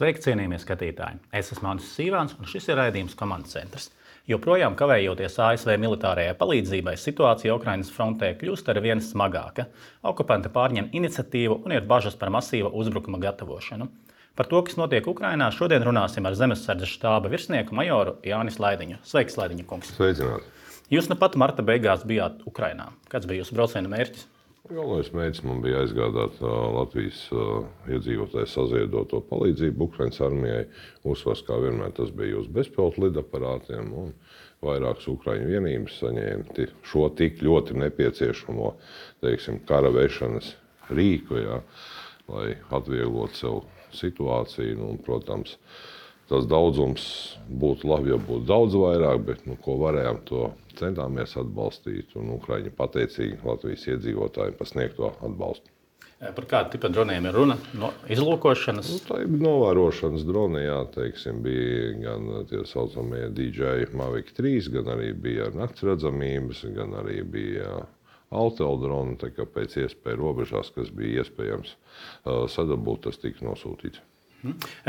Sveiki, cienījamie skatītāji! Es esmu Andris Sīvāns, un šis ir raidījums Komandas centrs. Joprojām kavējoties ASV militārajai palīdzībai, situācija Ukrainas frontē kļūst ar vien smagāka. Okupanti pārņem iniciatīvu un ir bažas par masīva uzbrukuma gatavošanu. Par to, kas notiek Ukrainā, šodien runāsim ar Zemesardzes štāba virsnieku majoru Jānis Laidiņu. Sveiks, Laidiņa kungs! Sveicināti! Jūs nu pat marta beigās bijāt Ukrainā. Kāds bija jūsu brauciena mērķis? Galvenais mērķis man bija aizgādāt Latvijas iedzīvotāju saziedoto palīdzību Ukrainas armijai. Uzsvars, kā vienmēr, tas bija uz bezpilotu lidaparātiem, un vairākas Ukraiņu vienības saņēma šo tik ļoti nepieciešamo, kara vešanas rīku, lai atvieglotu sev situāciju. Un, protams, tas daudzums būtu labi, ja būtu daudz vairāk, bet ko varējām, to centāmies atbalstīt, un Ukraiņi pateicīgi Latvijas iedzīvotājiem par sniegto atbalstu. Par kādu tipu droniem ir runa? No izlūkošanas? Tā ir novērošanas droni, bija gan tie saucamie DJI Mavic 3, gan arī bija naktsredzamības, gan arī bija Altel droni, tā kā pēc iespēja robežās, kas bija iespējams sadabūt, tas tika nosūtīts.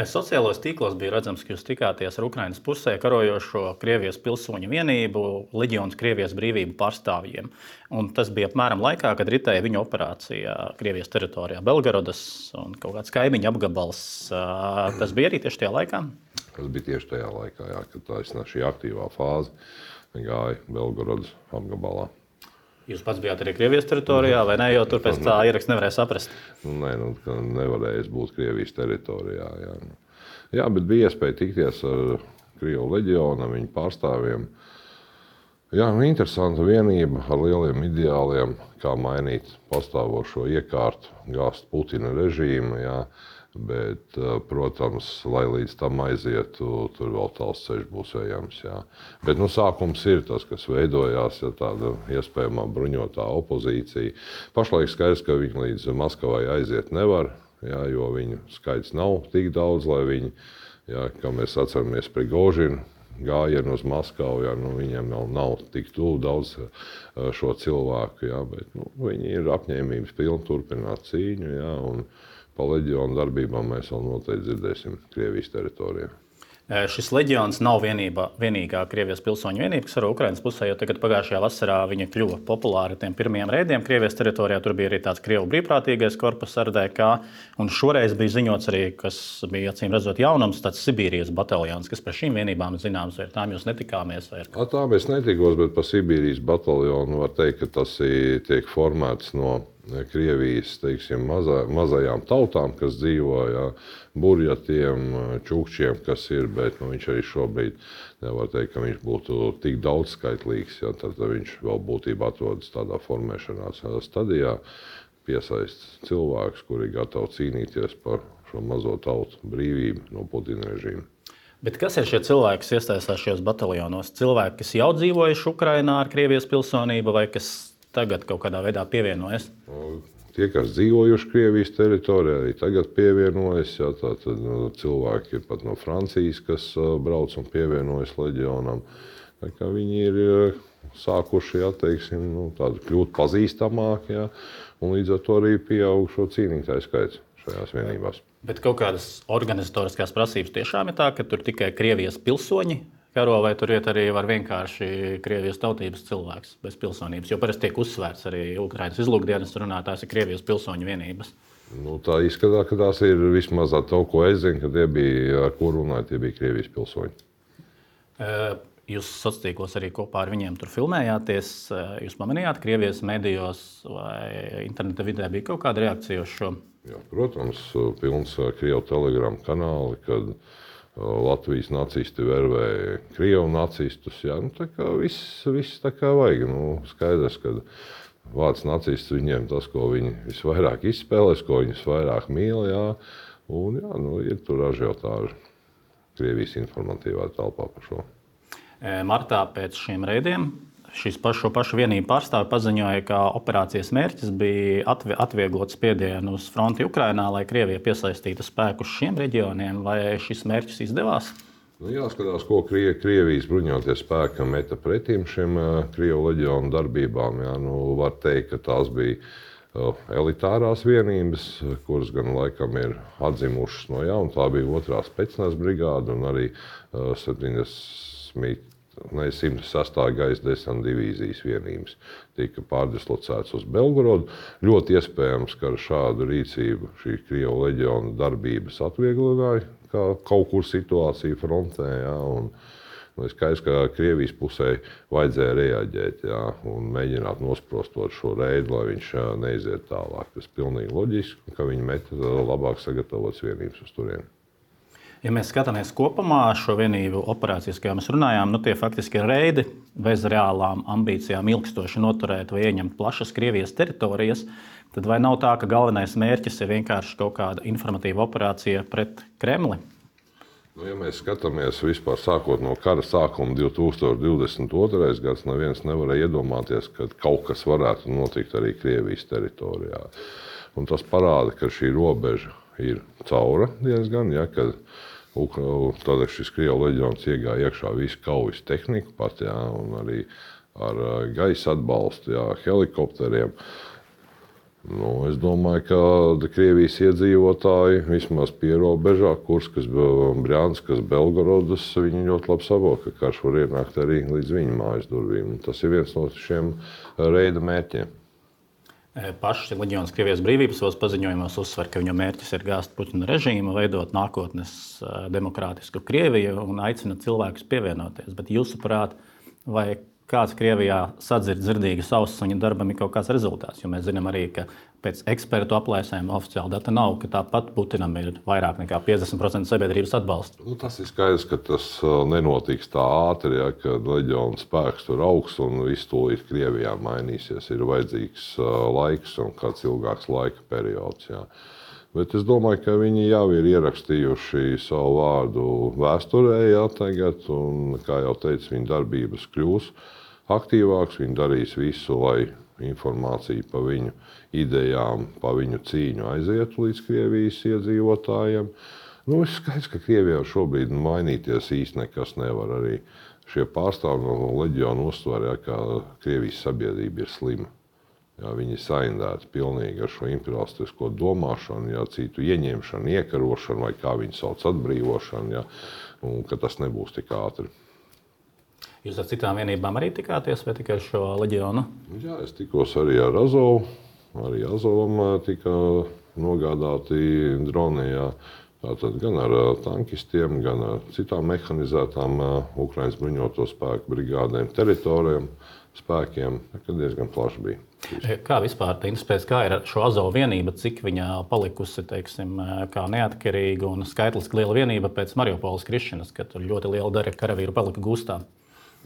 Sociālos tīklos bija redzams, ka jūs tikāties ar Ukrainas pusē karojošo Krievijas pilsoņu vienību Leģions Krievijas brīvību pārstāvjiem. Un tas bija apmēram laikā, kad ritēja viņu operācija Krievijas teritorijā Belgorodas un kaut kāds kaimiņu apgabals. Tas bija arī tieši tajā laikā? Tas bija tieši tajā laikā, kad šī aktīvā fāze gāja Belgorodas apgabalā. Jūs pats bijāt arī Krievijas teritorijā, vai ne? Jo tur pēc tā ieraksta nevarēja saprast. Nē, nevarēja būt Krievijas teritorijā. Jā, bet bija iespēja tikties ar Krievu leģionu, viņu pārstāvjiem. Jā, interesanta vienība ar lieliem ideāliem, kā mainīt pastāvošo iekārtu, gāzt Putina režīmu. Bet, protams, lai līdz tam aizietu, tur vēl tāls ceļš būs ejams. Bet sākums ir tas, kas veidojās, tāda iespējamā bruņotā opozīcija. Pašlaik skaidrs, ka viņi līdz Maskavai aiziet nevar, jo viņu skaits nav tik daudz, lai viņi, kā mēs atceramies Prigožinu gājienu uz Maskavu, viņiem nav tik tuvu daudz šo cilvēku, bet viņi ir apņēmības pilni turpināt cīņu, un par leģionu darbībām mēs vēl noteikti dzirdēsim Krievijas teritorijā. Šis leģions nav vienīgā Krievijas pilsoņu vienība, kas ir Ukrainas pusē, jo tagad pagājušajā vasarā viņa kļuva populāra tiem pirmajiem reidiem Krievijas teritorijā. Tur bija arī tāds Krievu brīvprātīgais korpus RDK, un šoreiz bija ziņots arī, kas bija acīm redzot jaunums, tāds Sibīrijas bataljons, kas par šīm vienībām zināms, vai ar tām jūs netikāmies? Tā mēs netikos, bet par Sibīrijas bataljonu var teikt, ka tas tiek formēts no Krievijas, mazajām tautām, kas dzīvo, burjatiem, čukčiem, kas ir, bet viņš arī šobrīd nevar teikt, ka viņš būtu tik daudzskaitlīgs, tad viņš vēl būtībā atrodas tādā formēšanās stadijā, piesaist cilvēkus, kuri gatavi cīnīties par šo mazo tautu brīvību no Putina režīma. Bet kas ir šie cilvēki, kas iesaistās šajos bataljonos? Cilvēki, kas jau dzīvojuši Ukrainā ar Krievijas pilsonību, vai kas tagad kaut kādā veidā pievienojas? Tie, kas dzīvojuši Krievijas teritorijā, arī tagad pievienojas. Tātad cilvēki ir pat no Francijas, kas brauc un pievienojas leģionam. Viņi ir sākuši kļūt pazīstamāki, un līdz ar to arī pieaug šo cīnītāju skaits šajās vienībās. Bet kaut kādas organizatoriskās prasības tiešām ir tā, ka tur tikai Krievijas pilsoņi karo, vai tur iet arī var vienkārši Krievijas tautības cilvēks bez pilsonības? Jo parasti tiek uzsvērts arī Ukrainas izlūkdienas runātājs ir Krievijas pilsoņu vienības. Tā izskatās, ka tās ir vismaz to, ko es zinu, ka tie bija, ar ko runāja, tie bija Krievijas pilsoņi. Jūs sociālos tīklos arī kopā ar viņiem tur filmējāties. Jūs pamanījāt Krievijas medijos vai interneta vidē bija kaut kāda reakcija uz šo? Jā, protams, pilns Krievu telegramu kanāli, kad Latvijas nacisti vervēja Krievu nacistus. Tā kā viss tā kā vajag. Skaidrs, ka vārds nacists viņiem tas, ko viņi visvairāk izspēlēs, ko viņi visvairāk mīl. Un ir tur ažiotāži Krievijas informatīvā telpā par šo. Martā pēc šiem reidiem šo pašu vienību pārstāvi paziņoja, ka operācijas mērķis bija atvieglot spiedienu uz fronti Ukrainā, lai Krievija piesaistītu spēkus šiem reģioniem. Vai šis mērķis izdevās? Jāskatās, ko Krievijas bruņotie spēki meta pretim šiem Krievu leģionu darbībām. Var teikt, ka tās bija elitārās vienības, kuras gan laikam ir atzimušas no jauna. Tā bija 2. specnaz brigāde un arī 106. gaisa desanta divīzijas vienības tika pārdislocētas uz Belgorodu. Ļoti iespējams, ka ar šādu rīcību šī Krievu leģiona darbības atviegloja kaut kur situāciju frontē. Ja, un skaidrs, ka Krievijas pusē vajadzēja reaģēt un mēģināt nosprostot šo reidu, lai viņš neiziet tālāk. Tas ir pilnīgi loģiski, ka viņi met labāk sagatavotas vienības uz turieni. Ja mēs skatāmies kopumā šo vienību operācijas, kā mēs runājām, tie faktiski ir reidi bez reālām ambīcijām ilgstoši noturēt vai ieņemt plašas Krievijas teritorijas, tad vai nav tā, ka galvenais mērķis ir vienkārši kaut kāda informatīva operācija pret Kremli? Ja mēs skatāmies vispār sākot no kara sākuma 2022. gads, neviens nevarēja iedomāties, ka kaut kas varētu notikt arī Krievijas teritorijā. Un tas parāda, ka šī robeža ir caura diezgan, kad tad šis Krievu leģions iegāja iekšā visu kaujas tehniku pat, un arī ar gaisa atbalstu, helikopteriem. Es domāju, ka Krievijas iedzīvotāji vismaz pierobežā, Kurskas, Brjanskas, Belgorodas, viņi ļoti labi saprot, ka karš var ienākt arī līdz viņu mājas durvīm. Tas ir viens no šiem reida mērķiem. Pašs leģions Krievijas brīvības savos paziņojumos uzsver, ka viņa mērķis ir gāzt Putina režīmu, veidot nākotnes demokrātisku Krieviju un aicina cilvēkus pievienoties. Bet jūsuprāt, vai kāds Krievijā sadzird dzirdīgas ausis viņa darbam ir kaut kāds rezultāts? Jo mēs zinām arī, ka pēc ekspertu aplēsēm oficiāli data nav, ka tāpat Putinam ir vairāk nekā 50% sabiedrības atbalsta. Tas ir skaidrs, ka tas nenotiks tā ātri, kad leģiona spēks tur augs un viss tūlīt Krievijā mainīsies. Ir vajadzīgs laiks un kāds ilgāks laika periods. Bet es domāju, ka viņi jau ir ierakstījuši savu vārdu vēsturē tagad, un, kā jau teicu, viņa darbības kļūs aktīvāks. Viņi darīs visu, lai informācija par viņu idejām, par viņu cīņu aizietu līdz Krievijas iedzīvotājiem. Ir skaidrs, ka Krievijā šobrīd mainīties īsti nekas nevar. Arī šie pārstāvji no leģiona uztver, ka Krievijas sabiedrība ir slima. Viņi ir saindēti pilnīgi ar šo imperialistisko domāšanu, citu ieņemšanu, iekarošanu vai kā viņi sauc atbrīvošanu, un ka tas nebūs tik ātri. Jūs ar citām vienībām arī tikāties vai tikai ar šo leģionu? Jā, es tikos arī ar Azovu. Arī Azovam tika nogādāti droni. Tātad gan ar tankistiem, gan ar citām mehanizētām Ukrainas bruņoto spēku brigādēm, teritorijām, spēkiem, kad diezgan plaši bija. Kā vispār interesēs, kā ir ar šo Azovu vienību, cik viņa palikusi, kā neatkarīga un skaitliski liela vienība pēc Mariupoles krišanas, kad tur ļoti liela daļa karavīru palika gūstā?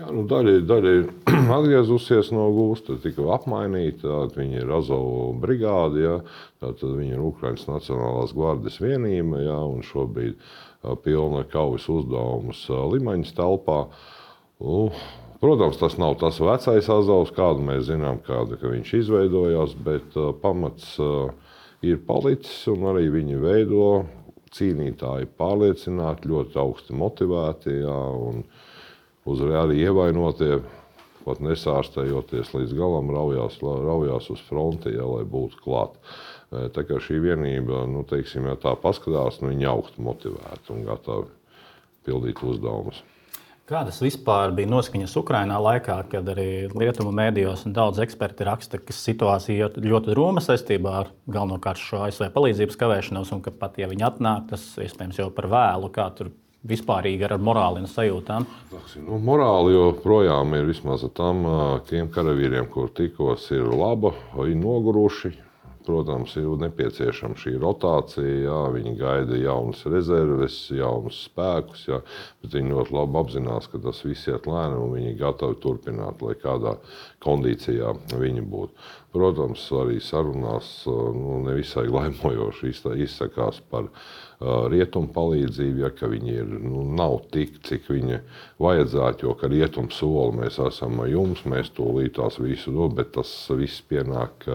Daļa ir atgriezusies no gūsta, tika apmainīta. Viņa ir Azovu brigāde, tātad viņa ir Ukrainas Nacionālās gvardes vienība, un šobrīd pilna kaujas uzdevumus Limaņas telpā. Protams, tas nav tas vecais Azovs, kādu mēs zinām, ka viņš izveidojās, bet pamats ir palicis un arī viņi veido cīnītāji pārliecināti, ļoti augsti motivēti, un arī ievainotie, pat nesārstējoties līdz galam, raujās uz fronti, lai būtu klāt. Tā kā šī vienība, ja tā paskatās, viņi augsti motivēti un gatavi pildīt uzdevumus. Kādas vispār bija noskaņas Ukrainā laikā, kad arī rietumu mēdījos un daudz eksperti raksta, ka situācija ļoti drūma saistībā ar galvenokārt šo ASV palīdzības kavēšanos, un ka pat, ja viņi atnāk, tas iespējams jau par vēlu, kā tur vispārīgi ar morāli un sajūtām? Morāli joprojām ir vismaz tiem karavīriem, kur tikos, ir laba, ir noguruši. Protams, ir nepieciešama šī rotācija, viņi gaida jaunas rezerves, jaunus spēkus, bet viņi ļoti labi apzinās, ka tas viss iet lēni un viņi gatavi turpināt, lai kādā kondīcijā viņi būtu. Protams, arī sarunās nevisai laimojoši izsakās par rietumu palīdzību, ka viņi nav tik, cik viņi vajadzētu, jo ka rietumu soli mēs esam ar jums, mēs tūlīt tās visu dod, bet tas viss pienāk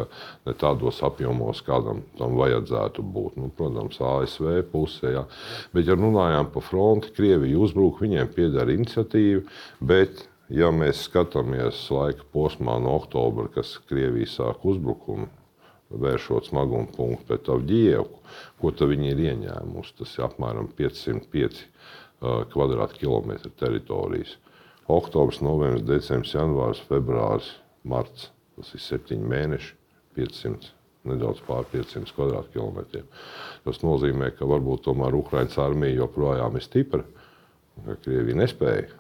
ne tādos apjomos, kādam tam vajadzētu būt. Protams, ASV pusē, bet ja runājām par fronti, Krievija uzbruk, viņiem pieder iniciatīva, bet ja mēs skatāmies laika posmā no oktobra, kas Krievija sāk uzbrukumu vēršot smaguma punktu pret Avģijevku, ko tad viņi ir ieņēmusi. Tas ir apmēram 505 kvadrātkilometri teritorijas. Oktobrs, novembris, decembris, janvārs, februāris, marts. Tas ir 7 mēneši, 500, nedaudz pār 500 kvadrātkilometriem. Tas nozīmē, ka varbūt tomēr Ukrainas armija joprojām ir stipra, ka Krievija nespēja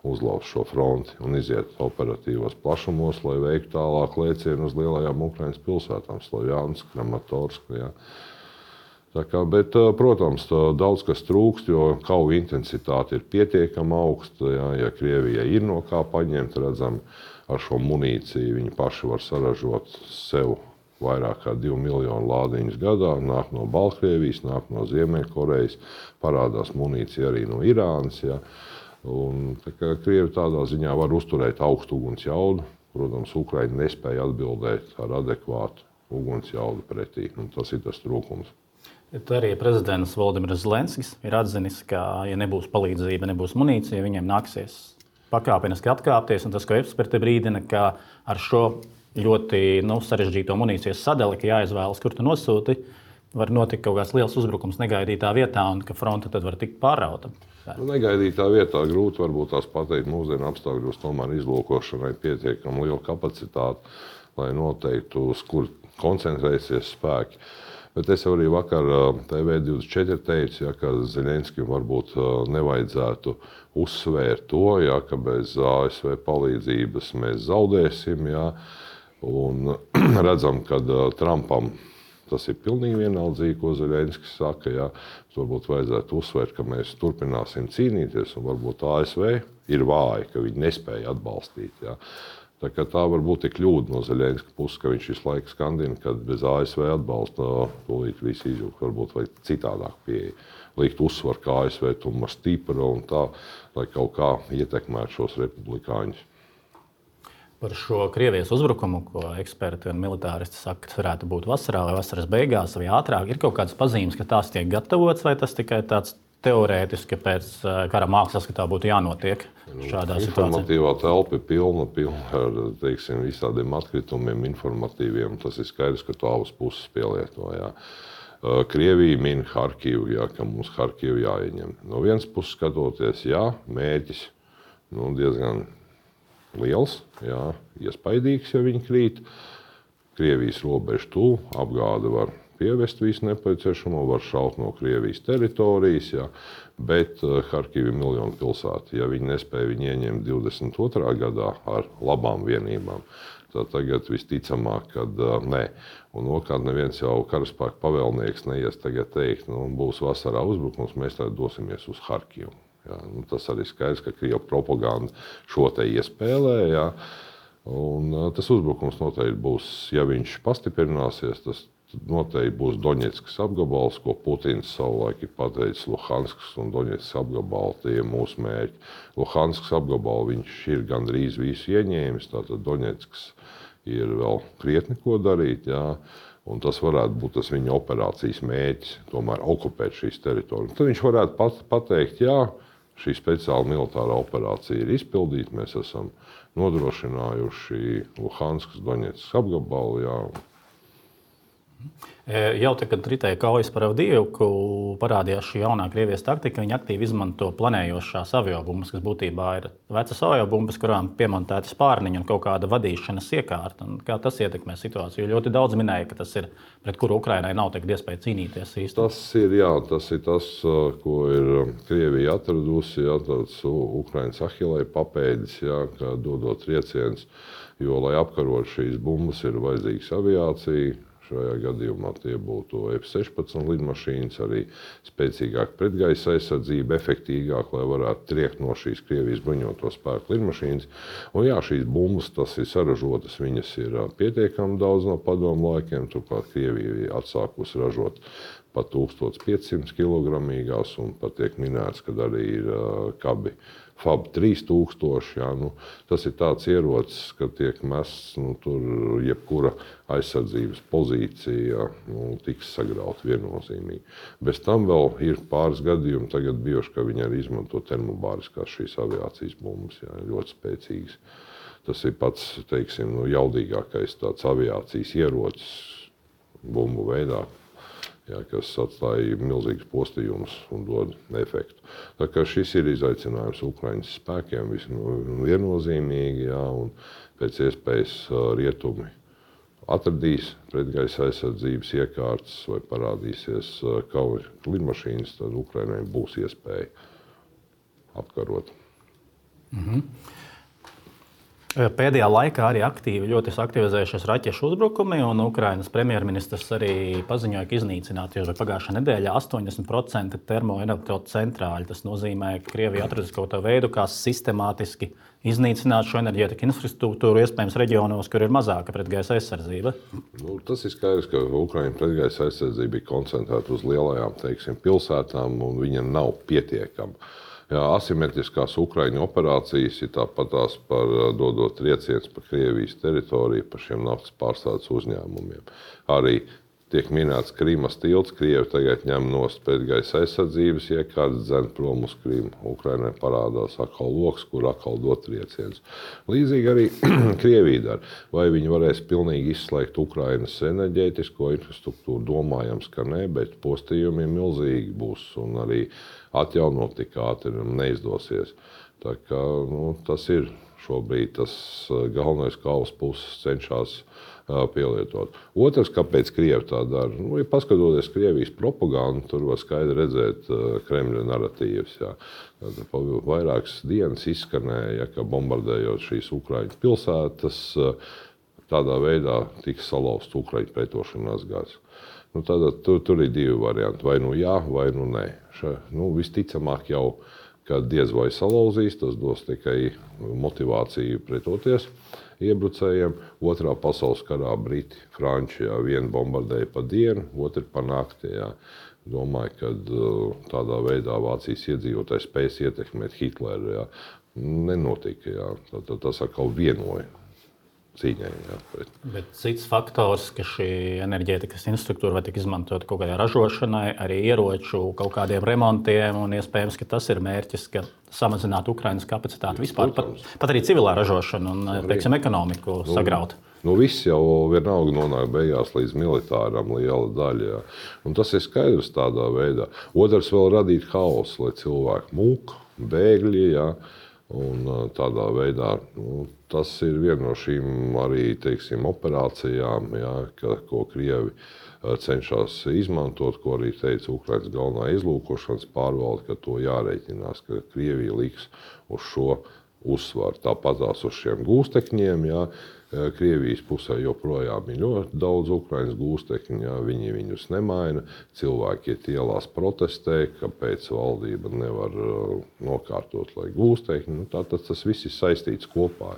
uzlauzt šo fronti un iziet operatīvos plašumos, lai veiktu tālāk lēcienu uz lielajām Ukrainas pilsētām, Slovjansku, Kramatorsku. Ja. Bet, protams, daudz kas trūkst, jo kauja intensitāte ir pietiekami augsta. Ja Krievijai ir no kā paņemt, redzam, ar šo munīciju viņi paši var saražot sev vairāk kā 2 miljonu lādiņus gadā. Nāk no Baltkrievijas, nāk no Ziemeļkorejas, parādās munīcija arī no Irānas. Ja. Un, Krievi tādā ziņā var uzturēt augstu uguns jaudu. Protams, Ukraina nespēja atbildēt ar adekvātu uguns jaudu pretī. Un tas ir tas trūkums. Arī prezidents Volodimirs Zelenskis ir atzinis, ka, ja nebūs palīdzība, nebūs munīcija, viņiem nāksies pakāpeniski atkāpties. Un tas, ko eksperti brīdina, ka ar šo ļoti sarežģīto munīcijas sadali, ka jāizvēlas, kur tu nosūti, var notikt kaut kāds liels uzbrukums negaidītā vietā un ka fronte tad var tikt pārrauta. Negaidītā vietā grūti varbūt tās pateikt. Mūsdienu apstākļos tomēr izlūkošanai pietiekami liela kapacitāte, lai noteiktu, uz kur koncentrēsies spēki. Bet es arī vakar TV24 teicu, ka Zeļenskim varbūt nevajadzētu uzsvērt to, ka bez ASV palīdzības mēs zaudēsim. Un redzam, ka Trumpam tas ir pilnīgi vienaldzīgi, ko Zeļenskis saka. Varbūt vajadzētu uzsvērt, ka mēs turpināsim cīnīties, un varbūt ASV ir vāja, ka viņi nespēja atbalstīt. Tā varbūt ir kļūda no Zeļenska puses, ka viņš visu laiku skandina, ka bez ASV atbalsta tūlīt visu izjūt. Varbūt vajag citādāk pieeja. Likt uzsvaru, ka ASV tomēr stipra un tā, lai kaut kā ietekmētu šos republikāņus. Par šo Krievijas uzbrukumu, ko eksperti un militāristi saka, ka varētu būt vasarā vai vasaras beigās vai ātrāk, ir kaut kādas pazīmes, ka tās tiek gatavotas, vai tas tikai tāds teorētiski pēc kara mākslas, ka tā būtu jānotiek šādā situācijā? Informatīvā telpa ir pilna ar visādiem atkritumiem, informatīviem. Tas ir skaidrs, ka to abas puses pielieto. Krievija min Harkivu, ka mums Harkivu jāieņem. No vienas puses skatoties, mērķis diezgan liels, iespaidīgs, ja viņi krīt. Krievijas robeža tuvu, apgāde var pievest visu nepieciešamo, var šaut no Krievijas teritorijas, bet Harkiva ir miljonu pilsēta. Ja viņi nespēja viņu ieņemt 22. gadā ar labām vienībām, tad tagad visticamāk, kad nē. Un otrkārt, neviens jau karaspēka pavēlnieks neies tagad teikt, būs vasarā uzbrukums, mēs tagad dosimies uz Harkivu. Tas arī skaidrs, ka Krievu propaganda šo te iespēlē. Un tas uzbrukums noteikti būs, ja viņš pastiprināsies, tas noteikti būs Doņetskas apgabals, ko Putins savulaik ir pateicis. Luhanskas un Doņetskas apgabali, tie ir mūsu mērķi. Luhanskas apgabalu viņš ir gandrīz visu ieņēmis, tātad Doņetskas ir vēl krietni ko darīt. Un tas varētu būt tas viņa operācijas mērķis, tomēr okupēt šīs teritorijas. Tad viņš varētu pateikt, šī speciāla militārā operācija ir izpildīta, mēs esam nodrošinājuši Luhanskas, Doņetskas apgabalu. Jau tad, kad ritēja kaujas par Avdijevku, parādījās šī jaunā Krievijas taktika. Viņi aktīvi izmanto planējošās aviobumbas, kas būtībā ir vecas aviobumbas, kurām piemontēti spārniņi un kaut kāda vadīšanas iekārta. Un kā tas ietekmē situāciju? Ļoti daudz minēja, ka tas ir, pret kuru Ukrainai nav tagad iespēja cīnīties īsti. Tas ir tas, ko ir Krievija atradusi, tāds Ukrainas Ahilē papēdis, ka dodot trieciens, jo, lai apkarot šīs bumbas, ir vajadzīgs aviācija. Šajā gadījumā tie būtu F-16 lidmašīnas, arī spēcīgāka pretgaisa aizsardzība, efektīgāk, lai varētu triekt no šīs Krievijas bruņoto spēku lidmašīnas. Un šīs bumbas, tas ir saražotas, viņas ir pietiekami daudz no padomu laikiem. Turklāt Krievija ir atsākusi ražot pat 1500 kilogramīgās, un pat tiek minēts, ka arī ir kabi FAB 3000. Tas ir tāds ierocis, ka tiek mests tur jebkura aizsardzības pozīcija tiks sagrauta viennozīmīgi. Bez tam vēl ir pāris gadījumi tagad bijuši, ka viņi arī izmanto termobāriskās šīs aviācijas bumbas, ļoti spēcīgas. Tas ir pats, jaudīgākais tāds aviācijas ierocis bumbu veidā, kas atstāja milzīgus postījumus un dod efektu. Tā kā šis ir izaicinājums Ukraiņas spēkiem viennozīmīgi, un pēc iespējas rietumi atradīs pretgaisa aizsardzības iekārtas vai parādīsies kauja lidmašīnas, tad Ukrainai būs iespēja apkarot. Pēdējā laikā arī ļoti aktivizējušies raķešu uzbrukumi, un Ukrainas premjerministrs arī paziņoja, ka iznīcināti jau pagājušā nedēļā 80% termoelektrocentrāļu. Tas nozīmē, ka Krievija atradis kaut kādu veidu, kā sistemātiski iznīcināt šo enerģētiku infrastruktūru, iespējams reģionos, kur ir mazāka pretgaisa aizsardzība. Tas ir skaidrs, ka Ukraiņas pretgaisa aizsardzība ir koncentrēta uz lielajām, pilsētām, un viņa nav pietiekama. Asimetriskās Ukraiņu operācijas ir tāpatās par dodot triecienus pa Krievijas teritoriju, pa šiem naftas pārstrādes uzņēmumiem. Arī tiek minēts Krimas tilts, Krievi tagad ņem nost pretgaisa aizsardzības iekārtas, dzen prom uz Krimu. Ukrainai parādās atkal loks, kur atkal dot triecienus. Līdzīgi arī Krievija dara. Vai viņi varēs pilnīgi izslēgt Ukrainas enerģētisko infrastruktūru? Domājams, ka nē, bet postījumi milzīgi būs un arī atjaunot tik ātri neizdosies. Tā kā, tas ir šobrīd tas galvenais, kā abas puses cenšas pielietot. Otrs, kāpēc Krievi tā dara? Ja paskatoties Krievijas propagandu, tur var skaidri redzēt Kremļa naratīvas. Vairākas dienas izskanēja, ka bombardējot šīs Ukraiņu pilsētas, tādā veidā tiks salauzts Ukraiņu pretošanās gars. Tur ir divi varianti. Vai jā, vai nē. Visticamāk jau, ka diez vai salauzīs, tas dos tikai motivāciju pretoties iebrucējiem. Otrā pasaules karā Briti, Franči, vienu bombardēja pa dienu, otru pa nakti. Domāju, ka tādā veidā Vācijas iedzīvotāji spēs ietekmēt Hitleru. Nenotika. Tas atkal vienoja cīņai. Bet cits faktors, ka šī enerģētikas infrastruktūra var tikt izmantot kaut kādai ražošanai, arī ieroču, kaut kādiem remontiem, un iespējams, ka tas ir mērķis, ka samazināt Ukrainas kapacitāti vispār, pat arī civilā ražošana un, ekonomiku sagraut. Viss jau vienalga nonāk beigās līdz militāram liela daļa. Un tas ir skaidrs tādā veidā. Otrs vēl radīt haosu, lai cilvēki mūk, bēgļi, un tādā veidā tas ir viena no šīm arī, operācijām, ko Krievi cenšas izmantot, ko arī teica Ukrainas galvenā izlūkošanas pārvalde, ka to jārēķinās, ka Krievija liks uz šo uzsvaru. Tāpatās uz šiem gūstekņiem, Krievijas pusē joprojām ir ļoti daudz Ukrainas gūstekņu, viņi viņus nemaina, cilvēki iet ielās protestē, kāpēc valdība nevar nokārtot, lai gūstekņi. Tātad tas viss ir saistīts kopā.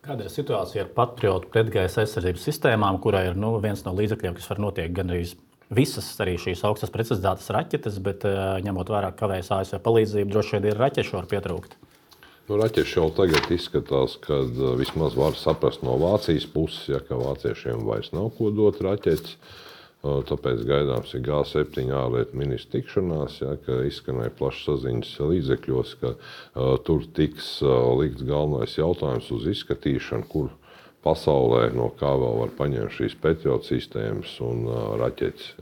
Kāda ir situācija ar patriotu pretgaisa aizsardzības sistēmām, kurā ir viens no līdzekļiem, kas var notiek gandrīz visas arī šīs augstas precizitātes raķetes, bet ņemot vērā, ka kavējas ASV palīdzību, droši vien ir raķešu var pietrūkt? Raķeši jau tagad izskatās, ka vismaz var saprast no Vācijas puses, ka vāciešiem vairs nav ko dot raķetes. Tāpēc gaidāms ir G7 ārlietu ministru tikšanās, ka izskanēja plašs saziņas līdzekļos, ka tur tiks likts galvenais jautājums uz izskatīšanu, kur pasaulē no kā vēl var paņemt šīs Patriot sistēmas un raķetes.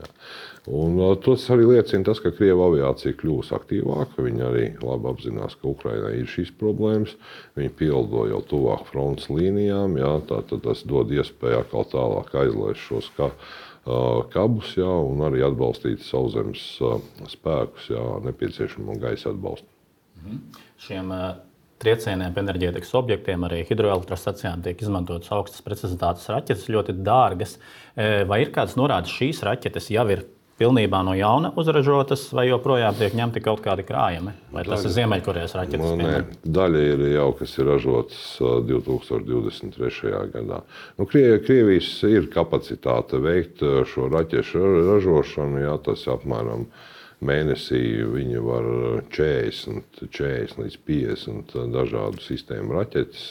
Un tas arī liecina tas, ka Krievu aviācija kļūs aktīvāka. Viņi arī labi apzinās, ka Ukrainai ir šīs problēmas. Viņi pieldo jau tuvāk frontes līnijām. Tātad tas dod iespēju atkal tālāk aizlaist šos kabus un arī atbalstīt sauszemes spēkus, nepieciešamo gaisa atbalstu. Šiem triecieniem pa enerģētikas objektiem, arī hidroelektrostacijām tiek izmantotas augstas precizitātes raķetes, ļoti dārgas. Vai ir kādas norādes, šīs raķetes jau ir pilnībā no jauna uzražotas, vai joprojām tiek ņemti kaut kādi krājumi? Vai tas ir Ziemeļkorejas raķetes? Nē, daļa ir jau, kas ir ražotas 2023. gadā. Krievijas ir kapacitāte veikt šo raķešu ražošanu, tas apmēram mēnesī viņi var 40 līdz 50 dažādu sistēmu raķetes.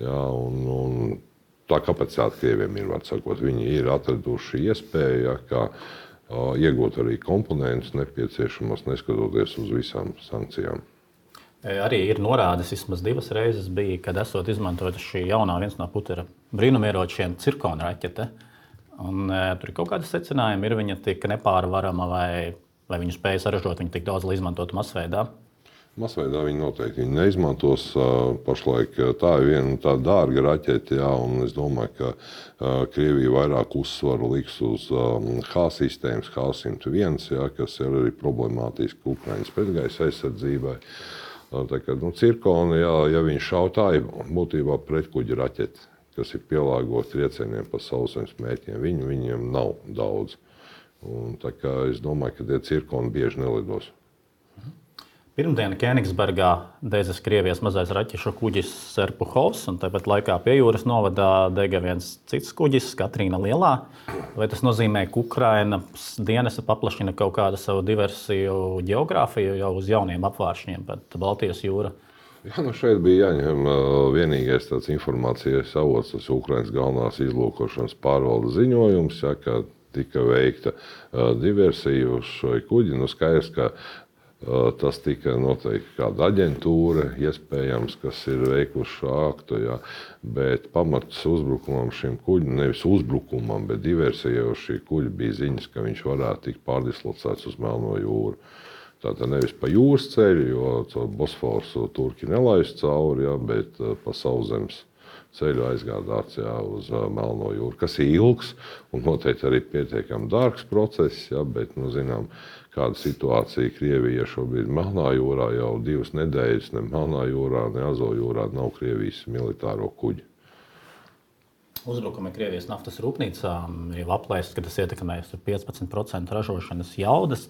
Un tā kapacitāte Krieviem ir, var sakot, viņi ir atraduši iespēju, ka iegūt arī komponentus nepieciešamos, neskatoties uz visām sankcijām. Arī ir norādes, vismaz 2 reizes bija, kad esot izmantota šī jaunā viens no Putina brīnumieročiem cirkona raķete. Un, tur ir kaut kāda secinājuma, ir viņa tik nepārvarama vai viņu spēja saražot, viņa tik daudz, lai izmantotu masveidā. Masveidā viņi noteikti neizmantos. Pašlaik tā ir viena tāda dārga raķete, jā, un es domāju, ka Krievija vairāk uzsvaru liks uz H-sistēmas, H-101, jā, kas ir arī problemātiski Ukraiņas pretgaisa aizsardzībai. Tā kā cirkoni, jā, ja viņš šauj, tā ir būtībā pretkuģa raķete, kas ir pielāgota triecieniem pa sauszemes mērķiem. Viņiem nav daudz. Un, tā kā es domāju, ka tie cirkoni bieži nelidos. Pirmdien Kēnigsbergā dedzas Krievijas mazais raķešu kuģis Serpuhovs, un tāpat laikā pie jūras novadā dega viens cits kuģis, Katrīna Lielā. Vai tas nozīmē, ka Ukrainas dienesta paplašina kaut kādu savu diversiju geogrāfiju jau uz jauniem apvāršņiem, pat Baltijas jūra? Jā, šeit bija jāņem vienīgais tāds informācijas avots, tas Ukrainas galvenās izlūkošanas pārvaldes ziņojums, ja, ka tika veikta diversija uz šo kuģi. Skaidrs, ka tas tika noteikti kāda aģentūra, iespējams, kas ir veikuši šo aktu, jā. Bet pamats uzbrukumam šim kuģim, nevis uzbrukumam, bet diversijai uz šī kuģa bija ziņas, ka viņš varētu tikt pārdislocēts uz Melno jūru. Tātad nevis pa jūras ceļu, jo caur Bosforu turki nelaist cauri, jā, bet pa sauszemes ceļu aizgādāts, jā, uz Melno jūru, kas ir ilgs un noteikti arī pietiekami dārgs process, jā, bet, zinām, kāda situācija Krievija šobrīd Melnā jūrā jau 2 nedēļas, ne Melnā jūrā, ne Azovjūrā nav Krievijas militāro kuģi. Uzbrukumi Krievijas naftas rūpnīcām ir aplēsts, ka tas ietekmēs 15% ražošanas jaudas,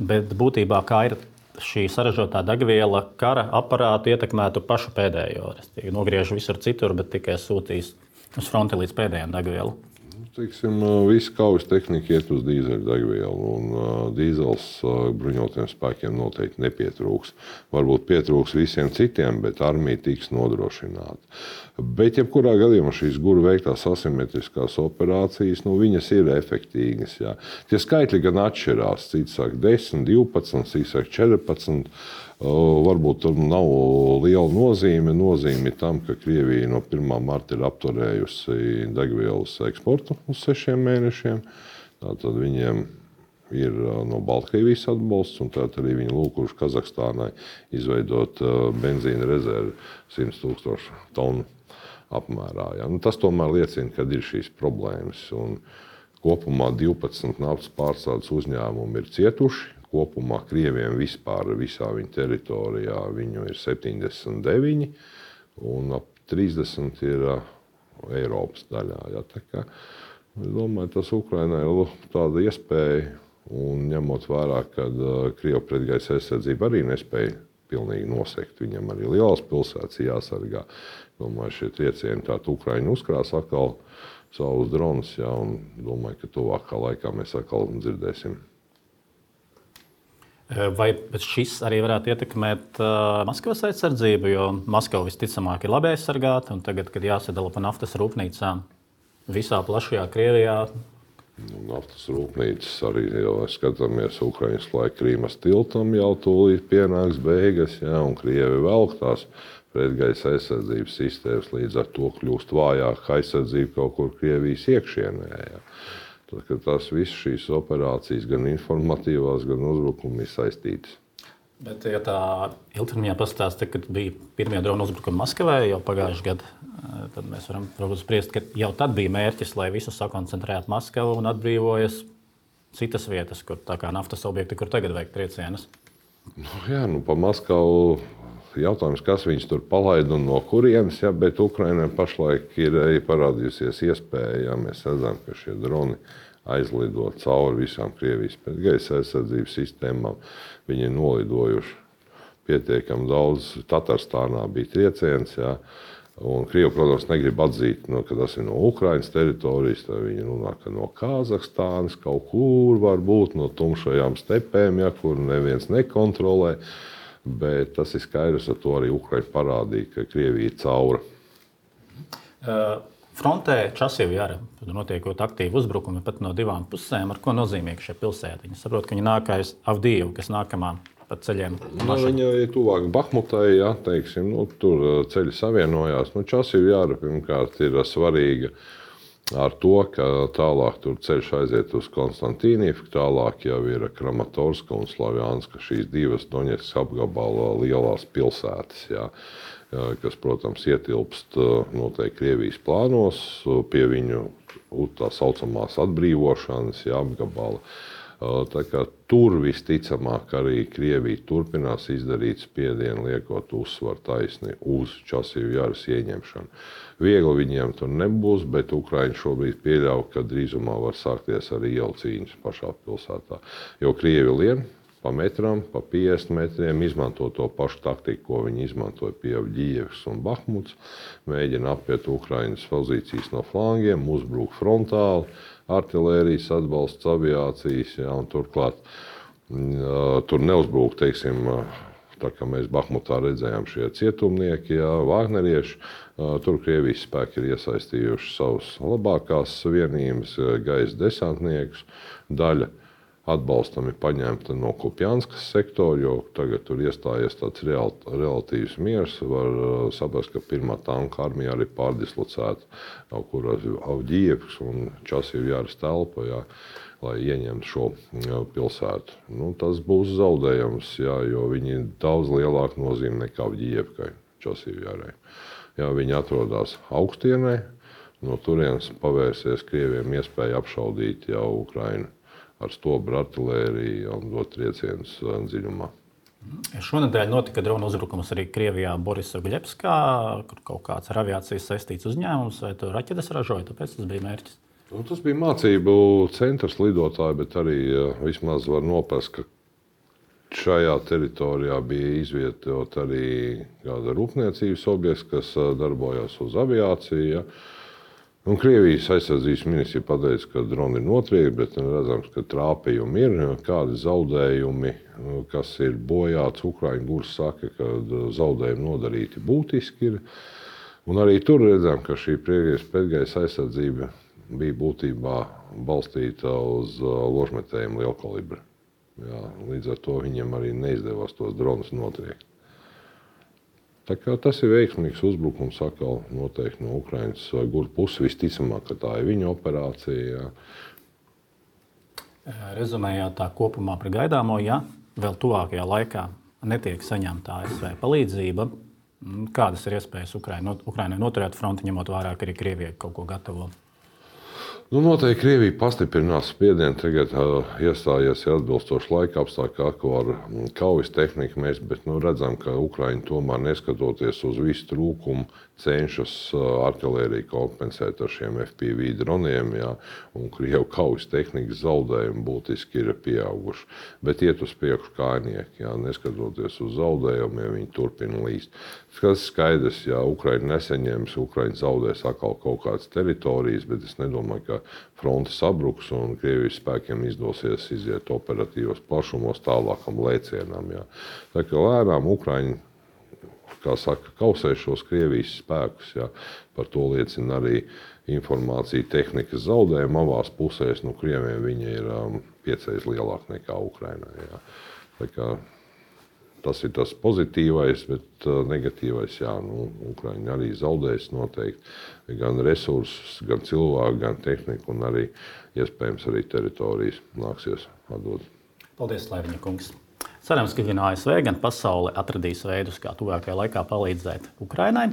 bet būtībā kā ir šī saražotā degviela kara aparātu ietekmētu pašu pēdējo. Nogriež visur citur, bet tikai sūtīs uz fronti līdz pēdējiem degvielu. Visa kaujas tehnika iet uz dīzeļdegvielu, un dīzels bruņotajiem spēkiem noteikti nepietrūks. Varbūt pietrūks visiem citiem, bet armija tiks nodrošināta. Bet, jebkurā gadījumā šīs guru veiktās asimetriskās operācijas, viņas ir efektīgas. Jā. Tie skaitļi gan atšķirās. Cits saka 10, 12, cits saka 14. Varbūt tur nav liela nozīme. Nozīme tam, ka Krievija no 1. marta ir apturējusi degvielas eksportu uz 6 mēnešiem. Tātad viņiem ir no Baltkrievijas atbalsts, un tātad arī viņi lūkuši Kazahstānai izveidot benzīna rezervi 100,000 tonu apmērā. Ja. Tas tomēr liecina, ka ir šīs problēmas. Un kopumā 12 naftas pārstrādes uzņēmumi ir cietuši. Kopumā Krieviem vispār visā viņa teritorijā viņu ir 79, un ap 30 ir Eiropas daļā. Ja. Tā kā, es domāju, tas Ukrainai ir tāda iespēja, un ņemot vērā, ka Krievu pretgaisa aizsardzība arī nespēja pilnīgi nosegt. Viņam arī lielās pilsētas jāsargā. Domāju, šie triecieni tātad Ukraiņi uzkrās atkal savus dronus, ja, un domāju, ka tuvākā laikā mēs atkal dzirdēsim. Vai šis arī varētu ietekmēt Maskavas aizsardzību, jo Maskava visticamāk ir labi aizsargāta, un tagad, kad jāsadala pa naftas rūpnīcām visā plašajā Krievijā? Naftas rūpnīcas arī jau skatāmies Ukraiņas laika Krīmas tiltam jau tūlīt pienāks beigas, ja, un Krievi velk tās pretgaisa aizsardzības sistēmas, līdz ar to kļūst vājāka aizsardzība kaut kur Krievijas iekšienē. Ja. Tās visas šīs operācijas, gan informatīvās, gan uzbrukumi ir saistītas. Bet, ja tā ilgtermiņā pastāsta, kad bija pirmie drona uzbrukumi Maskavai jau pagājušajā gadā, tad mēs varam spriest, ka jau tad bija mērķis, lai visus sakoncentrētu Maskavu un atbrīvojas citas vietas, kur tā kā naftas objekti, kur tagad vajag triecienus. Pa Maskavu jautājums, kas viņus tur palaida un no kurienes, ja, bet Ukrainai pašlaik ir parādījusies iespēja, ja mēs redzam, ka šie droni aizlido cauri visām Krievijas pretgaisa aizsardzības sistēmām. Viņi ir nolidojuši pietiekami daudz. Tatarstānā bija trieciens, ja, un Krievi, protams, negrib atzīt, ka tas ir no Ukrainas teritorijas, tad viņi runā, ka no Kazahstānas kaut kur varbūt no tumšajām stepēm, ja, kur neviens nekontrolē. Bet tas ir skaidrs, ar to arī Ukraina parādīja, ka Krievija ir caura. Frontē Časivjara notiekot aktīvi uzbrukumi pat no 2 pusēm. Ar ko nozīmīgi šie pilsēti? Viņi saprot, ka viņi nākais Avdīvu, kas nākamā pa ceļiem. Viņa ir tuvāk Bahmutai, ja, teiksim, tur ceļi savienojās. Časivjara pirmkārt ir svarīga ar to, ka tālāk tur ceļš aiziet uz Konstantīnivku, tālāk jau ir Kramatorska un Slavjanska, šīs divas Doņetskas apgabala lielās pilsētas, jā, kas, protams, ietilpst noteikti Krievijas plānos pie viņu tā saucamās atbrīvošanas, jā, apgabala. Tā kā tur visticamāk arī Krievija turpinās izdarīt spiedienu, liekot uzsvaru taisni uz Časīvu Jaras ieņemšanu. Viegli viņiem tur nebūs, bet Ukraiņi šobrīd pieļauj, ka drīzumā var sākties arī ielu cīņas pašā pilsētā. Jo Krievi lien pa metram, pa 50 metriem, izmanto to pašu taktiku, ko viņi izmantoja pie Avģijevas un Bahmuts, mēģina apiet Ukraiņas pozīcijas no flangiem, uzbruk frontāli, artilērijas atbalsts, aviācijas, jā, un turklāt tur neuzbrūk, teiksim, tā kā mēs Bahmutā redzējām šie cietumnieki, jā, vāgnerieši, tur Krievijas spēki ir iesaistījuši savus labākās vienības, gaisa desantniekus, daļa atbalstam ir paņemta no Kupjanskas sektora, jo tagad tur iestājies tāds relatīvs miers. Var saprast, ka pirmā tanka armija arī pārdislocēta kaut kur Avģijevas un Časīvu Jaras telpa, jā, lai ieņemtu šo pilsētu. Tas būs zaudējums, jā, jo viņi ir daudz lielāka nozīme nekā Avģijevkai, Časīvu Jarai. Jā, viņi atrodas augstienē, no turienes pavērsies Krieviem iespēja apšaudīt jau Ukrainu ar stobru artilēriju un dot triecienus dziļumā. Šonedēļ notika drona uzbrukums arī Krievijā Borisovļevskā, kur kaut kāds ar aviācijas saistīts uzņēmums, vai tur raķetes ražoja, tāpēc tas bija mērķis? Tas bija mācību centrs lidotāji, bet arī vismaz var noprast, ka šajā teritorijā bija izvietot arī kāda rūpniecības objekts, kas darbojās uz aviāciju. Ja. Un Krievijas aizsardzības ministrija pateica, ka droni ir notriekti, bet redzams, ka trāpījumi ir, kādi zaudējumi, kas ir bojāts. Ukraiņu gurs saka, ka zaudējumi nodarīti būtiski ir. Un arī tur redzam, ka šī priekšgaisa pretgaisa aizsardzība bija būtībā balstīta uz ložmetējiem lielkalibra. Jā, līdz ar to viņiem arī neizdevās tos dronus notriekt. Tā kā tas ir veiksmīgs uzbrukums atkal noteikti no Ukrainas gura puses. Visticamāk, ka tā ir viņa operācija. Jā. Rezumējot tā kopumā par gaidāmo, ja vēl tuvākajā laikā netiek saņemta ASV palīdzība, kādas ir iespējas Ukrainai noturēt fronti, ņemot vērā, ka arī Krievija kaut ko gatavo? Noteikti Krievija pastiprinās spiedienu, tagad iestājies atbilstoši laika apstākļi, ko ar kaujas tehniku mēs, bet redzam, ka Ukraiņi tomēr neskatoties uz visu trūkumu cenšas artilēriju kompensēt ar šiem FPV droniem, jā, un Krievu kaujas tehnikas zaudējumi būtiski ir pieauguši. Bet iet uz priekšu kājnieki, jā, neskatoties uz zaudējumiem, viņi turpina līst. Tas skaidrs, ja Ukraiņa nesaņems, Ukraiņa zaudēs atkal kaut kādas teritorijas, bet es nedomāju, ka fronte sabruks un Krievijas spēkiem izdosies iziet operatīvos plašumos tālākam lēcienam. Jā. Tā kā lēnām Ukraiņa, kā saka, kausē šos Krievijas spēkus. Jā. Par to liecina arī informācija tehnikas zaudējuma abās pusēs. Krieviem viņa ir 5 reizes lielāka nekā Ukrainai. Jā. Tā kā tas ir tas pozitīvais, bet negatīvais, jā, Ukraiņi arī zaudēs noteikti gan resursus, gan cilvēku, gan tehniku, un arī iespējams arī teritorijas nāksies atdot. Paldies, Laiviņa kungs. Cerams, ka gan ASV, gan pasaule atradīs veidus, kā tuvākajā laikā palīdzēt Ukrainai,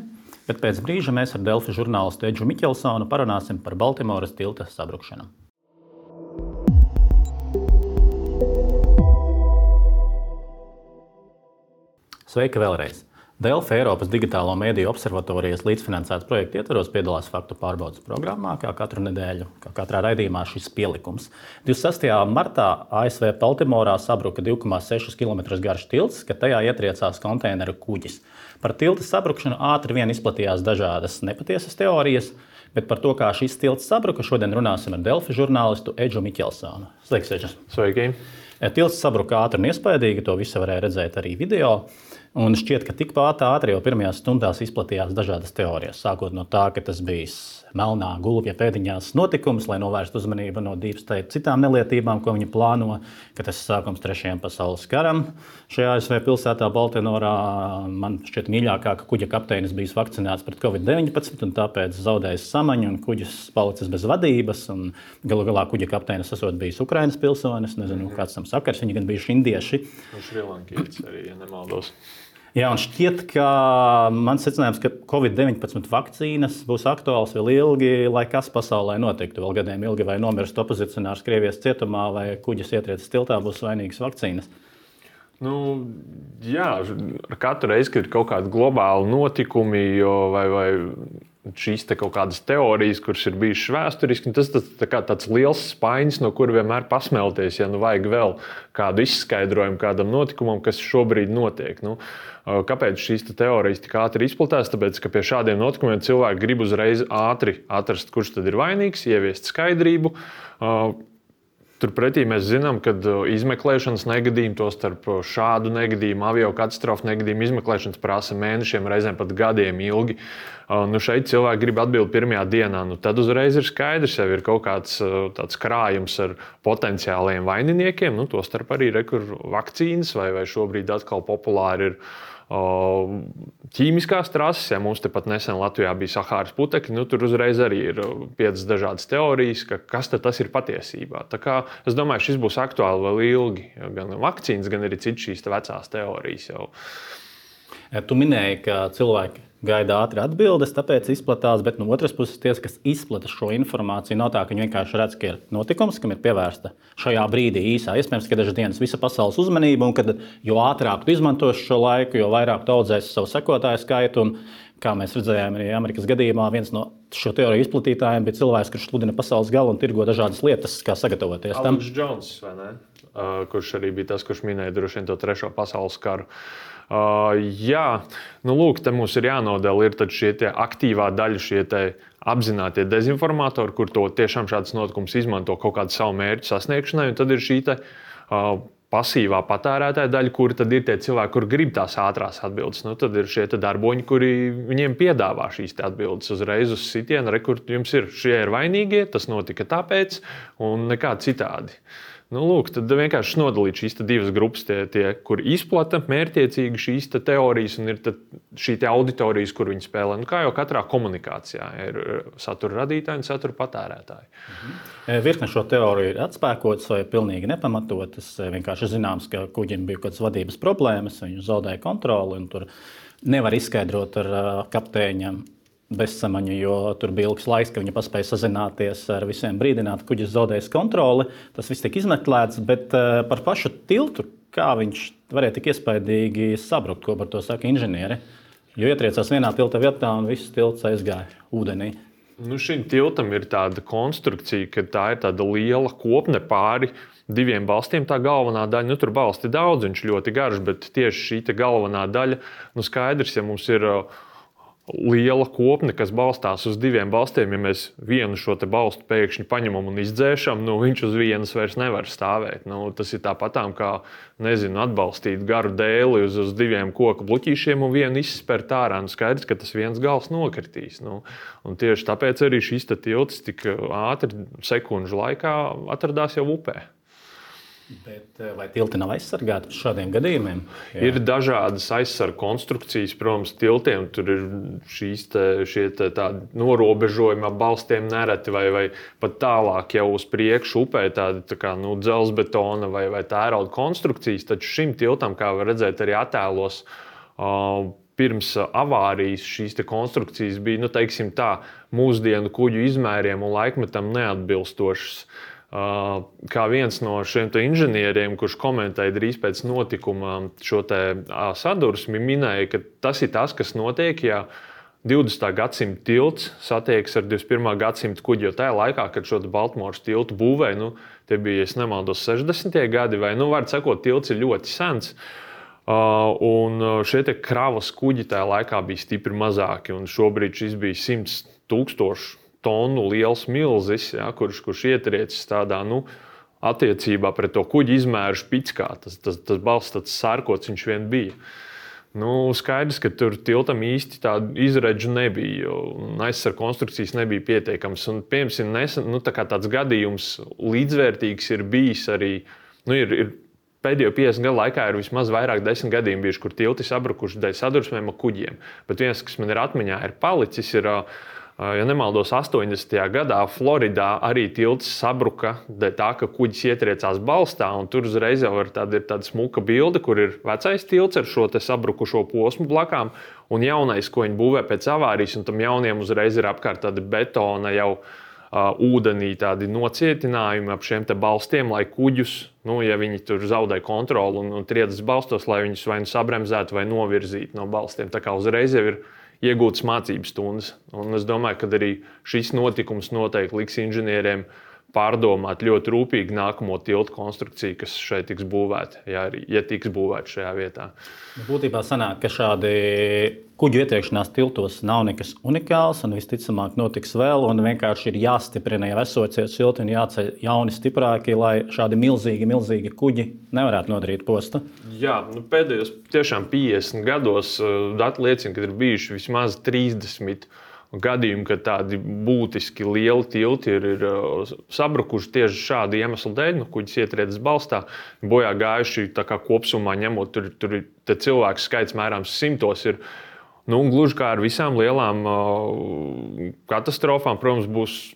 bet pēc brīža mēs ar Delfi žurnālistu Edžu Miķelsonu parunāsim par Baltimoras tilta sabrukšanu. Sveiki vēlreiz! Delfi Eiropas Digitālo mediju observatorijas līdzfinansētas projekta ietvaros piedalās faktu pārbaudes programmā, kā katru nedēļu, kā katrā raidījumā šis pielikums. 26. martā ASV Baltimorā sabruka 2,6 km garš tilts, kad tajā ietriecās konteineru kuģis. Par tilta sabrukšanu ātri vien izplatījās dažādas nepatiesas teorijas, bet par to, kā šis tilts sabruka, šodien runāsim ar Delfi žurnālistu Edžu Miķelsonu. Sveiks, Edžu! Sveiki! Tilts sabruka ātri un iespaidīgi, to visu varēja redzēt arī video. Un šķiet, ka tikpat ātri jau pirmajās stundās izplatījās dažādas teorijas. Sākot no tā, ka tas bija melnā gulbja pēdiņās notikums, lai novērstu uzmanību no Deep State citām nelietībām, ko viņi plāno, ka tas ir sākums 3. pasaules karam. Šajā ASV pilsētā Baltinorā man šķiet mīļākā, ka kuģa kapteinis bijis vakcinēts pret Covid-19 un tāpēc zaudējis samaņu un kuģis palicis bez vadības. Galu galā kuģa kapteinis esot bijis Ukrainas pilsonis, nezinu, kāds tam sakars, viņi gan bijuši indieši. Un šrilankietis arī, ja nemaldos. Jā, un šķiet, ka mans secinājums, ka Covid-19 vakcīnas būs aktuāls vēl ilgi, lai kas pasaulē notiktu. Vēl gadiem ilgi vai nomirst opozicionārs Krievijas cietumā vai kuģis ietriecis tiltā būs vainīgas vakcīnas. Nu, jā, ar katru reizi, kad ir kaut kādi globāli notikumi vai šīs kaut kādas teorijas, kuras ir bijušas vēsturiski, tas tāds liels spainis, no kura vienmēr pasmelties, ja nu vajag vēl kādu izskaidrojumu kādam notikumam, kas šobrīd notiek. Nu, kāpēc šīs teorijas tik ātri izplatās? Tāpēc, ka pie šādiem notikumiem cilvēki grib uzreiz ātri atrast, kurš tad ir vainīgs, ieviest skaidrību. Turpretī mēs zinām, ka izmeklēšanas negadījumi, tostarp šādu negadījumu, aviokatastrofu negadījumu izmeklēšanas prasa mēnešiem, reizēm pat gadiem ilgi. Nu šeit cilvēki grib atbildēt pirmajā dienā. Nu tad uzreiz ir skaidrs, jau ir kaut kāds tāds krājums ar potenciāliem vaininiekiem. Nu, tostarp arī vakcīnas vai šobrīd atkal populāri ir ķīmiskās trases, ja mums tepat nesen Latvijā bija Sahāras putekļi, nu, tur uzreiz arī ir 5 dažādas teorijas, kas tas ir patiesībā. Tā kā es domāju, šis būs aktuāli vēl ilgi, gan vakcīnas, gan arī citas šīs vecās teorijas jau. Tu minēji, ka cilvēki gaida ātri atbildes, tāpēc izplatās, bet no otras puses tie, kas izplata šo informāciju, nav tā, ka viņi vienkārši redz, ka ir notikums, kam ir pievērsta šajā brīdī īsā, iespējams, ka dažas dienas visa pasaules uzmanība, un kad jo ātrāk tu izmantosi šo laiku, jo vairāk tu audzēsi savu sekotāju skaitu, un kā mēs redzējām arī Amerikas gadījumā, viens no šo teoriju izplatītājiem bija cilvēks, kurš sludina pasaules galu un tirgo dažādas lietas, kā sagatavoties tam. Alex Jones, vai ne? Kurš arī bija tas, kurš minēja droši vien to 3. pasaules karu. Jā, nu lūk, te mums ir jānodala šie aktīvā daļa, šie apzinātie dezinformatori, kur to tiešām šāds notikums izmanto kaut kādu savu mērķu sasniegšanai, un tad ir šī pasīvā patērētāja daļa, kuri tad ir tie cilvēki, kur grib tās ātrās atbildes. Nu, tad ir šie darboņi, kuri viņiem piedāvā šīs atbildes uzreiz uz sitienu, kur jums ir šie ir vainīgie, tas notika tāpēc un nekā citādi. Nu, lūk, tad vienkārši nodalīt šīs divas grupas, tie, kur izplata mērķiecīgi šīs teorijas, un ir šī auditorijas, kur viņi spēlē. Nu, kā jau katrā komunikācijā ir satura radītāji un satura patērētāji. Virkne šo teoriju ir atspēkotas vai pilnīgi nepamatotas. Vienkārši zināms, ka kuģim bija kādas vadības problēmas, viņi zaudēja kontroli, un tur nevar izskaidrot ar kapteiņiem bezsamaņu, jo tur bija ilgs laiks, ka viņi paspēja sazināties ar visiem, brīdināt, kuģis zaudējis kontroli. Tas viss tika izmeklēts, bet par pašu tiltu, kā viņš varēja tik iespaidīgi sabrukt, ko par to saka inženieri. Jo ietriecās vienā tilta vietā un viss tilts aizgāja ūdenī. Nu, šim tiltam ir tāda konstrukcija, ka tā ir tāda liela kopne pāri 2 balstiem, tā galvenā daļa. Nu, tur balsti daudz, viņš ļoti garš, bet tieši šī galvenā daļa, nu skaidrs, ja mums ir liela kopne, kas balstās uz 2 balstiem, ja mēs vienu šo balstu pēkšņi paņemam un izdzēšam, nu, viņš uz vienas vairs nevar stāvēt. Nu, tas ir tāpatām kā, atbalstīt garu dēli uz 2 koku bluķīšiem un vienu izspērt ārā. Nu, skaidrs, ka tas viens gals nokritīs. Nu, un tieši tāpēc arī šis tilts tik ātri, sekundžu laikā atradās jau upē. Bet vai tilti nav aizsargāti pret šādiem gadījumiem? Jā. Ir dažādas aizsargu konstrukcijas, protams, tiltiem. Tur ir šie norobežojumi ap balstiem nereti vai pat tālāk jau uz priekšu upē tādi kā dzelzbetona vai tērauda konstrukcijas. Taču šim tiltam, kā var redzēt arī attēlos, pirms avārijas šīs konstrukcijas bija, teiksim tā, mūsdienu kuģu izmēriem un laikmetam neatbilstošas. Kā viens no šiem inženieriem, kurš komentēja drīz pēc notikuma šo sadursmi, minēja, ka tas ir tas, kas notiek, ja 20. gadsimta tilts satiekas ar 21. gadsimta kuģi. Jo tajā laikā, kad šo Baltimoras tiltu būvēja, tie bija, ja nemaldos, 60. gadi, vai, var sakot, tilts ir ļoti sens. Un šie kravas kuģi tajā laikā bija stipri mazāki, un šobrīd šis bija 100,000 tonu liels milzis, ja, kurš ietriecis tādā, attiecībā pret to kuģi izmēru špickā. Tas balsts tāds sārkots viņš vien bija. Skaidrs, ka tur tiltam īsti tādu izredzu nebija, un aizsardzības konstrukcijas nebija pietiekamas. Piemēram, nesen tāds gadījums līdzvērtīgs ir bijis arī. Ir pēdējo 50 gadu laikā ir vismaz vairāk 10 gadījumi bijuši, kur tilti sabrukuši dēļ sadursmēm ar kuģiem. Bet viens, kas man ir atmiņā, ir palicis, ja nemaldos, 80. gadā Floridā arī tilts sabruka dēļ tā, ka kuģis ietriecās balstā. Tur uzreiz jau ir tāda smuka bilde, kur ir vecais tilts ar šo sabrukušo posmu blakām un jaunais, ko viņi būvē pēc avārijas. Tam jauniem uzreiz ir apkārt tāda betona jau ūdenī tādi nocietinājumi ap šiem balstiem, lai kuģus, ja viņi tur zaudē kontroli un triecas balstos, lai viņus vai sabremzētu vai novirzītu no balstiem. Tā kā uzreiz jau ir iegūtas mācības stundas. Un es domāju, ka arī šis notikums noteikti liks inženieriem pārdomāt ļoti rūpīgi nākamo tiltu konstrukciju, kas šeit tiks būvēta, ja tiks būvēta šajā vietā. Būtībā sanāk, ka šādi kuģu ietriekšanās tiltos nav nekas unikāls, un visticamāk notiks vēl, un vienkārši ir jāstiprina jau esošie tilti un jāceļ jauni stiprāki, lai šādi milzīgi kuģi nevarētu nodarīt postu. Jā, pēdējos tiešām 50 gados dati liecina, ka ir bijuši vismaz 30 gadījumi, kad tādi būtiski lieli tilti ir sabrukuši tieši šādu iemeslu dēļ. Kuģis ietriecas balstā, bojā gājuši kopumā ņemot, tur cilvēku skaits mērāms simtos. Ir, gluži kā ar visām lielām katastrofām, protams, būs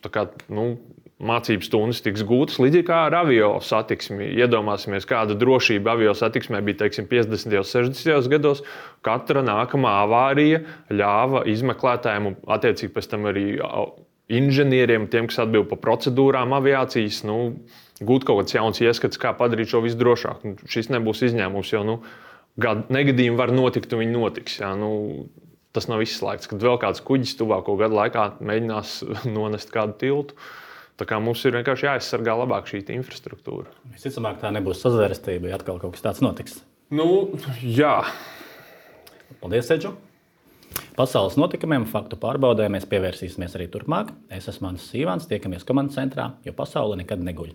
mācības stundas tiks gūtas, līdzīgi kā ar avio satiksmi. Iedomāsimies, kāda drošība avio satiksmē bija 50. un 60. gados. Katra nākamā avārija ļāva izmeklētājiem un attiecīgi pēc tam arī inženieriem, tiem, kas atbild par procedūrām aviācijas, gūt kaut kāds jauns ieskats, kā padarīt šo visu drošāku. Šis nebūs izņēmums, jo negadījumi var notikt un viņi notiks. Jā, tas nav izslēgts, kad vēl kāds kuģis tuvāko gadu laikā mēģinās nonest kādu tiltu. Tā kā mums ir vienkārši jāaizsargā labāk šī infrastruktūra. Visticamāk, tā nebūs sazvērestība, ja atkal kaut kas tāds notiks. Jā. Paldies, Edžu! Pasaules notikumiem un faktu pārbaudēm mēs pievērsīsimies arī turpmāk. Es esmu Mans Sīvans, tiekamies komandas centrā, jo pasaule nekad neguļ.